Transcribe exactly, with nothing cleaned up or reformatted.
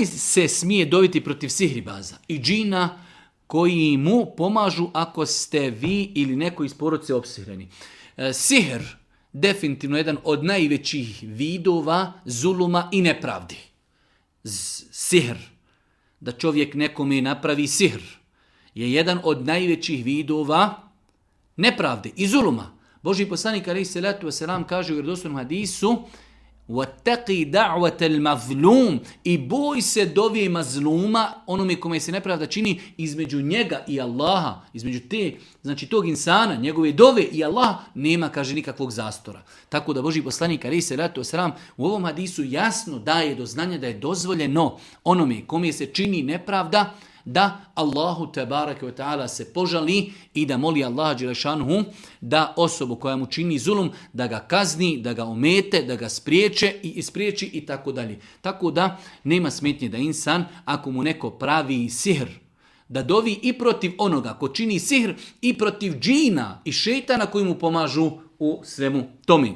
li se smije doviti protiv sihribaza i džina koji mu pomažu ako ste vi ili neko iz porodice opsihreni? E, sihr, definitivno jedan od najvećih vidova zuluma i nepravdi. Z- sihr, da čovjek nekome napravi sihr, je jedan od najvećih vidova nepravde i zuluma. Božji poslanik alejhi selatu vesselam kaže u vjerodostojnom hadisu: وَاتَّقِي دَعْوَةَ الْمَظْلُومِ, i boj se dovije mazluma, onome kome se nepravda čini, između njega i Allaha, između te, znači tog insana, njegove dove i Allah, nema, kaže, nikakvog zastora. Tako da Božji poslanik alejhi selatu vesselam u ovom hadisu jasno daje do znanja da je dozvoljeno onome kome se čini nepravda da Allahu tebareke ve taala se požali i da moli Allaha dželešanuhu da osobu koja mu čini zulum, da ga kazni, da ga omete, da ga spriječe i ispriječi i tako dalje. Tako da nema smetnje da insan, ako mu neko pravi sihr, da dovi i protiv onoga ko čini sihr i protiv džina i šejtana koji mu pomažu u svemu tome.